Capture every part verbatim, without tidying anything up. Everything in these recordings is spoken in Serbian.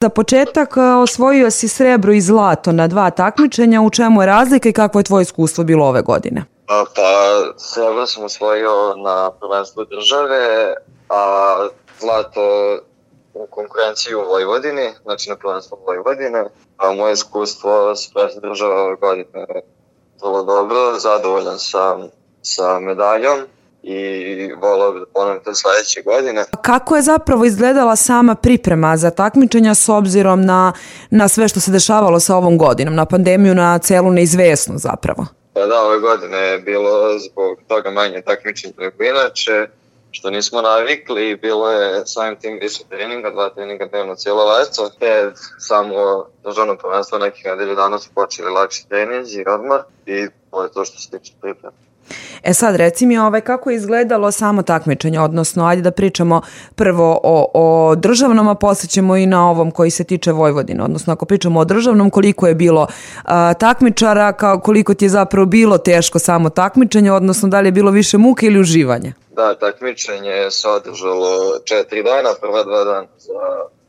Za početak osvojio si srebro i zlato na dva takmičenja. U čemu je razlika i kakvo je tvoje iskustvo bilo ove godine? Pa, pa srebro sam osvojio na prvenstvu države, a zlato u konkurenciji u Vojvodini, znači na prvenstvu Vojvodine. A moje iskustvo s prvenstvom države ove godine je vrlo dobro, zadovoljan sam sa medaljom i volao bih da ponovim to sledeće godine. Kako je zapravo izgledala sama priprema za takmičenja s obzirom na, na sve što se dešavalo sa ovom godinom, na pandemiju, na celu neizvesnost zapravo? Pa da, ove godine je bilo zbog toga manje takmičenja nego inače, što nismo navikli, bilo je samim tim više treninga, dva treninga dnevno cijelo leto, te samo državno prvenstvo nekih nedelju dana su počeli lakši treninzi i odmor i to je to što se tiče priprema. E sad, reci mi ovaj, kako je izgledalo samo takmičenje, odnosno ajde da pričamo prvo o, o državnom, a poslije ćemo i na ovom koji se tiče Vojvodine, odnosno ako pričamo o državnom, koliko je bilo a, takmičara, kao, koliko ti je zapravo bilo teško samo takmičenje, odnosno da li je bilo više muke ili uživanja? Da, takmičenje se održalo četiri dana, prva dva dana za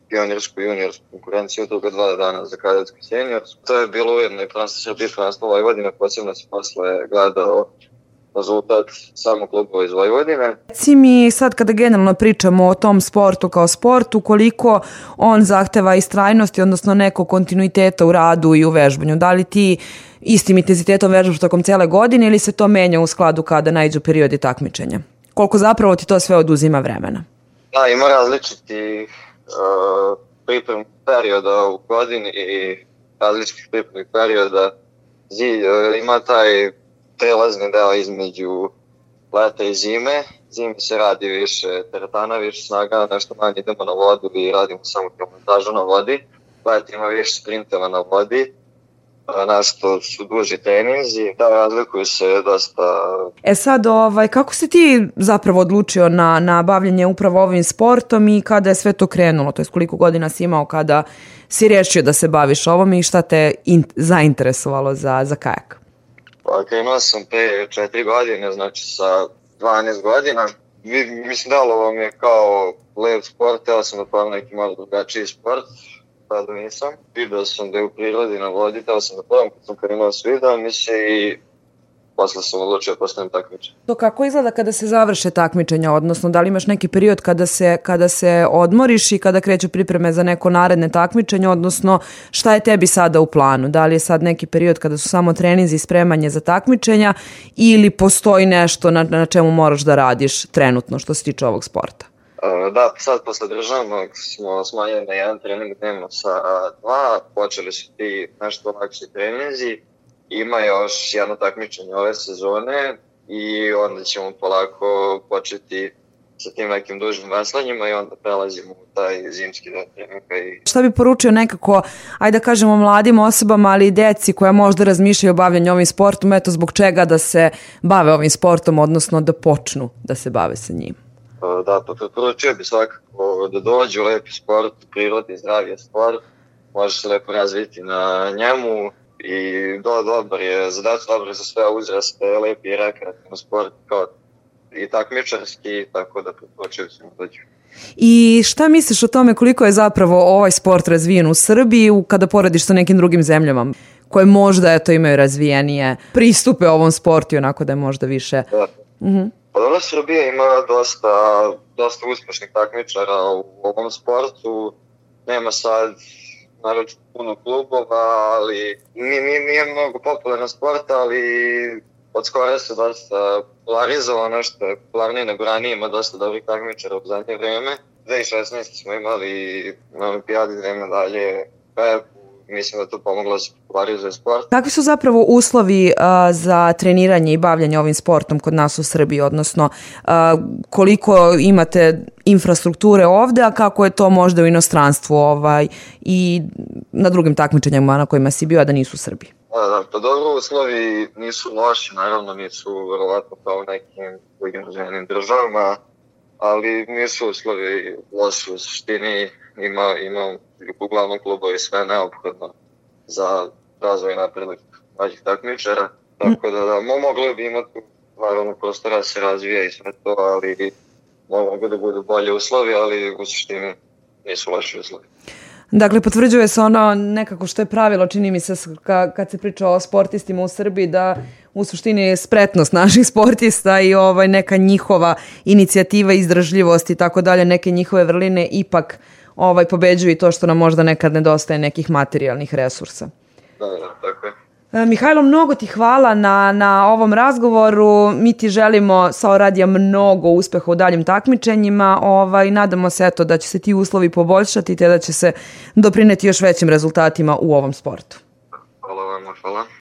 pionirsku i juniorsku konkurenciju, druga dva dana za kadetsku i seniorsku. To je bilo ujedno i prvenstvo Srbije, prvenstvo Vojvodine, posebno se posle gledao rezultat samo klubova iz Vojvodine. Reci mi sad kada generalno pričamo o tom sportu kao sportu, koliko on zahteva istrajnosti, odnosno nekog kontinuiteta u radu i u vežbanju. Da li ti istim intenzitetom vežbaš tokom cijele godine ili se to menja u skladu kada naiđu periodi takmičenja? Koliko zapravo ti to sve oduzima vremena? Da, ima različitih uh, pripremnih perioda u godini i različitih pripremnih perioda. Zid, uh, ima taj prelazni deo između leta i zime. Zime se radi više teretana, više snaga, nešto manje idemo na vodu i radimo samo kilometražu na vodi. Leta ima više sprinteva na vodi, nešto su duži treninzi, da razlikuju se dosta. E sad, ovaj, kako si ti zapravo odlučio na, na bavljenje upravo ovim sportom i kada je sve to krenulo? To je koliko godina si imao kada si rješio da se baviš ovom i šta te in, zainteresovalo za, za kajak? Pa krenuo sam pre četiri godine, znači sa dvanaest godina. Mislim da ovo mi je kao lep sport, teo sam da pravim neki malo drugačiji sport, tada nisam. Vidio sam da je u prirodi na vodi, teo sam da pravim kad sam krenuo sviđao mi se i posle sam odlučio da postavim takmičenje. To kako izgleda kada se završe takmičenja, odnosno da li imaš neki period kada se, kada se odmoriš i kada kreću pripreme za neko naredne takmičenje, odnosno šta je tebi sada u planu? Da li je sad neki period kada su samo treninzi i spremanje za takmičenja ili postoji nešto na, na čemu moraš da radiš trenutno što se tiče ovog sporta? Da, sad posle državnog smo smanjili na jedan trening dnevno sa dva, počeli su ti nešto lakši treninzi. Ima još jedno takmičenje ove sezone i onda ćemo polako početi sa tim nekim dužim veslanjima i onda prelazimo u taj zimski deo treninga. I... Šta bi poručio nekako, ajde da kažemo mladim osobama, ali i deci koja možda razmišljaju o bavljanju ovim sportom, eto zbog čega da se bave ovim sportom, odnosno da počnu da se bave sa njim? Da, pa preporučio bi svakako da dođu u lepi sport, prirodni, zdravi sport, može se lepo razviti na njemu. I do, dobar je, zadač dobar je za sve uzraste, lepi i rekreativni sport kao i takmičarski, tako da preporučujem se mu dođu. I šta misliš o tome koliko je zapravo ovaj sport razvijen u Srbiji kada porediš sa nekim drugim zemljama koje možda eto, imaju razvijenije pristupe ovom sportu i onako da je možda više... Da. Uh-huh. Pa dobro, Srbija ima dosta, dosta uspešnih takmičara u ovom sportu, nema sad naravno puno klubova, ali nije, nije, nije mnogo popularan sport, ali od skora se dosta polarizovano, što je popularnije nego ranije, ima dosta dobrih takmičara u zadnje vreme. dve tisuće šesnaeste smo imali na olimpijadi dve medalje, mislim da to pomoglo da se popularizuje sport. Kakvi su zapravo uslovi uh, za treniranje i bavljanje ovim sportom kod nas u Srbiji, odnosno uh, koliko imate infrastrukture ovde, a kako je to možda u inostranstvu ovaj, i na drugim takmičenjima na kojima si bio, a da nisu u Srbiji? Da, da, pa dobro, uslovi nisu loši, naravno nisu verovatno kao u nekim drugim razvijenim državama, ali nisu uslovi loši u suštini, ima, ima uglavnom klubovi sve neophodno za razvoj napredak mlađih takmičara, tako da, da mogli bi imati naravno prostora da se razvija i sve to, ali mogu da budu bolje uslovi, ali u suštini nisu loši uslovi. Dakle, potvrđuje se ono nekako što je pravilo, čini mi se ka, kad se priča o sportistima u Srbiji, da u suštini je spretnost naših sportista i ovaj, neka njihova inicijativa, izdržljivost i tako dalje, neke njihove vrline ipak ovaj, pobeđuju i to što nam možda nekad nedostaje nekih materijalnih resursa. Da, da, tako je. Mihajlo, mnogo ti hvala na, na ovom razgovoru. Mi ti želimo sa Oradija mnogo uspeha u daljim takmičenjima. Ovaj, nadamo se eto, da će se ti uslovi poboljšati te da će se doprineti još većim rezultatima u ovom sportu. Hvala vam, hvala.